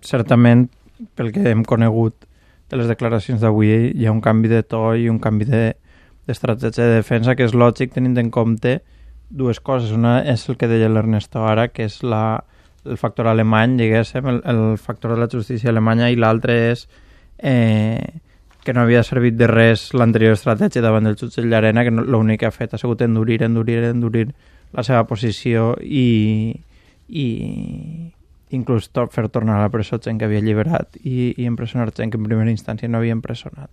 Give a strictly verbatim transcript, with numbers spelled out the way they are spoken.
certament, pel que hem conegut de les declaracions d'avui, hi ha un canvi de to i un canvi d'estratègia de defensa que és lògic tenint en compte dues coses. Una és el que deia l'Ernesto ara, que és la, el factor alemany, diguéssim, el, el factor de la justícia alemanya, i l'altre és eh, que no havia servit de res l'anterior estratègia davant del jutge Llarena, que no, l'únic que ha fet ha sigut endurir, endurir, endurir la seva posició i, i inclús to, fer tornar a la presó gent que havia alliberat i, i empresonar gent que en primera instància no havia empresonat.